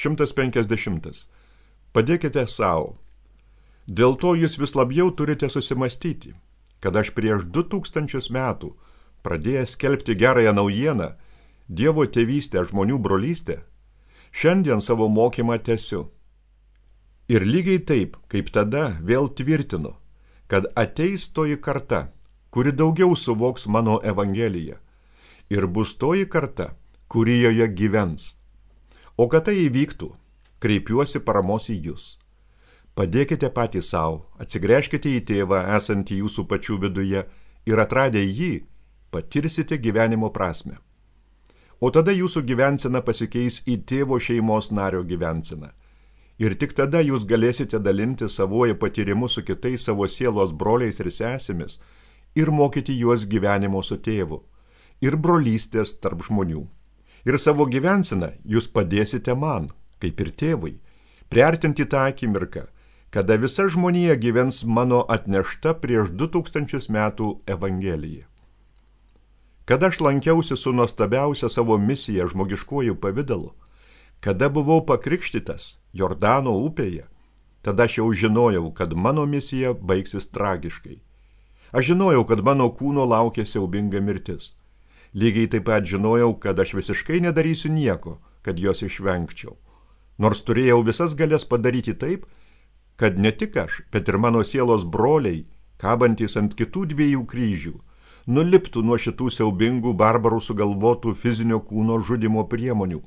150. Padėkite savo. Dėl to jūs vis labiau turite susimastyti, kad aš prieš 2000 metų, pradėjęs skelbti gerąją naujieną, Dievo tėvystę, žmonių brolystę, šiandien savo mokymą tęsiu. Ir lygiai taip, kaip tada vėl tvirtinu, kad ateis toji karta, kuri daugiau suvoks mano evangeliją, ir bus toji karta, kuri joje gyvens. O kad tai įvyktų, kreipiuosi paramos į jūs. Padėkite patys savo, atsigręžkite į tėvą esantį jūsų pačių viduje ir atradę jį, patirsite gyvenimo prasmę. O tada jūsų gyvensena pasikeis į tėvo šeimos nario gyvenseną. Ir tik tada jūs galėsite dalinti savoje patyrimu su kitais savo sielos broliais ir sesėmis ir mokyti juos gyvenimo su tėvu ir brolystės tarp žmonių. Ir savo gyvenseną jūs padėsite man, kaip ir tėvui, priartinti tą akimirką, kada visa žmonija gyvens mano atnešta prieš 2000 metų evangelija. Kada aš lankiausi su nuostabiausia savo misija žmogiškuoju pavidalu, kada buvau pakrikštytas Jordano upėje, tada aš jau žinojau, kad mano misija baigsis tragiškai. Aš žinojau, kad mano kūno laukia siaubinga mirtis. Lygiai taip pat žinojau, kad aš visiškai nedarysiu nieko, kad jos išvengčiau. Nors turėjau visas galias padaryti taip, kad ne tik aš, bet ir mano sielos broliai, kabantys ant kitų 2 kryžių, nuliptų nuo šitų siaubingų barbarų sugalvotų fizinio kūno žudimo priemonių,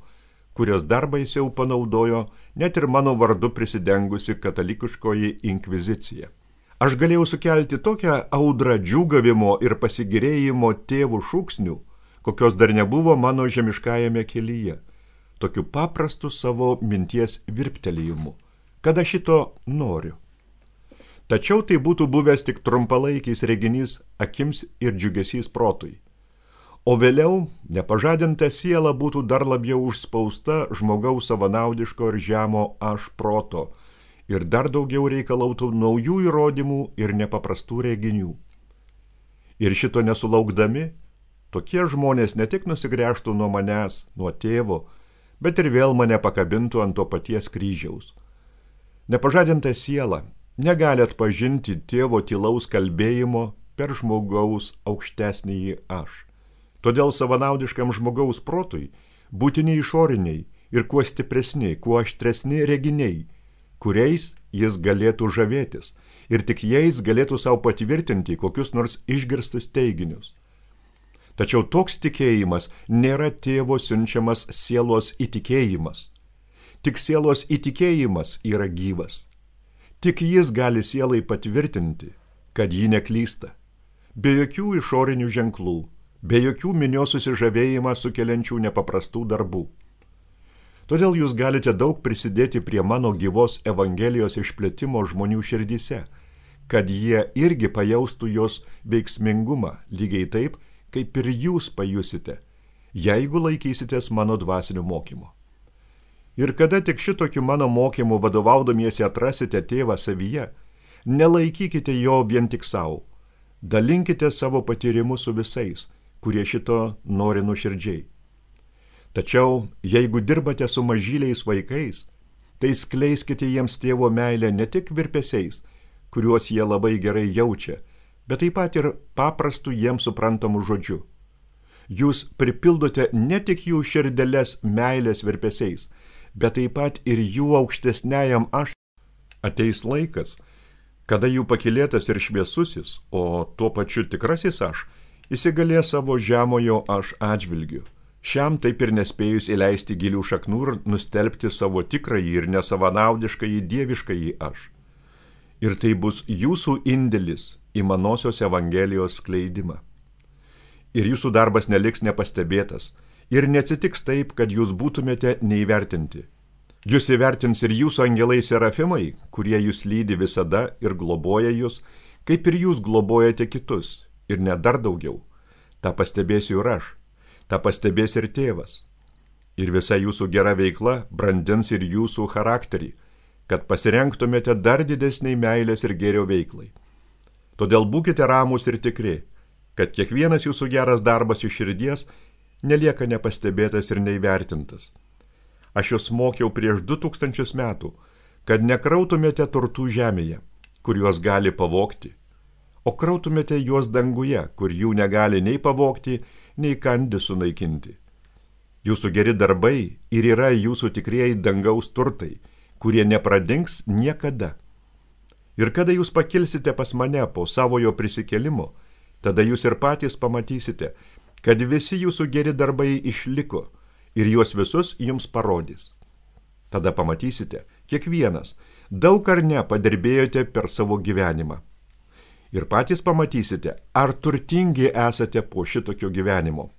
kurios dar baisiau panaudojo net ir mano vardu prisidengusi katalikiškoji inkvizicija. Aš galėjau sukelti tokią audrą džiūgavimo ir pasigirėjimo tėvų šūksnių, kokios dar nebuvo mano žemiškajame kelyje, tokiu paprastu savo minties virptelėjimu, kad aš šito noriu. Tačiau tai būtų buvęs tik trumpalaikis reginys akims ir džiugesys protui. O vėliau nepažadinta siela būtų dar labiau užspausta žmogaus savanaudiško ir žemo aš proto ir dar daugiau reikalautų naujų įrodymų ir nepaprastų reginių. Ir šito nesulaukdami, tokie žmonės ne tik nusigręžtų nuo manęs, nuo tėvo, bet ir vėl mane pakabintų ant to paties kryžiaus. Nepažadinta siela negali atpažinti tėvo tylaus kalbėjimo per žmogaus aukštesnįjį aš. Todėl savanaudiškam žmogaus protui būtini išoriniai ir kuo stipresni, kuo aštresni reginiai, kuriais jis galėtų žavėtis ir tik jais galėtų savo patvirtinti kokius nors išgirstus teiginius. Tačiau toks tikėjimas nėra tėvo siunčiamas sielos įtikėjimas. Tik sielos įtikėjimas yra gyvas. Tik jis gali sielai patvirtinti, kad ji neklysta. Be jokių išorinių ženklų, be jokių minios susižavėjimą sukeliančių nepaprastų darbų. Todėl jūs galite daug prisidėti prie mano gyvos evangelijos išplėtimo žmonių širdyse, kad jie irgi pajaustų jos veiksmingumą, lygiai taip, kaip ir jūs pajusite, jeigu laikysitės mano dvasinio mokymo. Ir kada tik šitokiu mano mokymu vadovaudomiesi atrasite tėvą savyje, nelaikykite jo vien tik savo. Dalinkite savo patyrimu su visais, kurie šito nori nuoširdžiai. Tačiau, jeigu dirbate su mažyliais vaikais, tai skleiskite jiems tėvo meilę ne tik virpesiais, kuriuos jie labai gerai jaučia, bet taip pat ir paprastų jiems suprantamų žodžių. Jūs pripildote ne tik jų širdeles meilės virpesiais, bet taip pat ir jų aukštesniajam aš. Ateis laikas, kada jų pakylėtas ir šviesusis, o tuo pačiu tikrasis aš, įsigalės savo žemojo aš atžvilgiu. Šiam taip ir nespėjus įleisti gilių šaknų ir nustelbti savo tikrąjį ir nesavanaudiškąjį dieviškąjį aš. Ir tai bus jūsų indėlis į manosios evangelijos skleidimą. Ir jūsų darbas neliks nepastebėtas, ir neatsitiks taip, kad jūs būtumėte neįvertinti. Jūs įvertins ir jūsų angelai serafimai, kurie jūs lydi visada ir globoja jūs, kaip ir jūs globojate kitus, ir net dar daugiau. Ta pastebėsiu ir aš, ta pastebės ir tėvas. Ir visa jūsų gera veikla brandins ir jūsų charakterį, kad pasirengtumėte dar didesniai meilės ir gėrio veiklai. Todėl būkite ramūs ir tikri, kad kiekvienas jūsų geras darbas iš širdies nelieka nepastebėtas ir neįvertintas. Aš jūs mokiau prieš 2000 metų, kad nekrautumėte turtų žemėje, kur juos gali pavogti, o krautumėte juos danguje, kur jų negali nei pavogti, nei kandys sunaikinti. Jūsų geri darbai ir yra jūsų tikrieji dangaus turtai, kurie nepradings niekada. Ir kada jūs pakilsite pas mane po savojo prisikėlimo, tada jūs ir patys pamatysite, kad visi jūsų geri darbai išliko ir juos visus jums parodys. Tada pamatysite, kiekvienas, daug ar ne padirbėjote per savo gyvenimą. Ir patys pamatysite, ar turtingi esate po šitokio gyvenimo.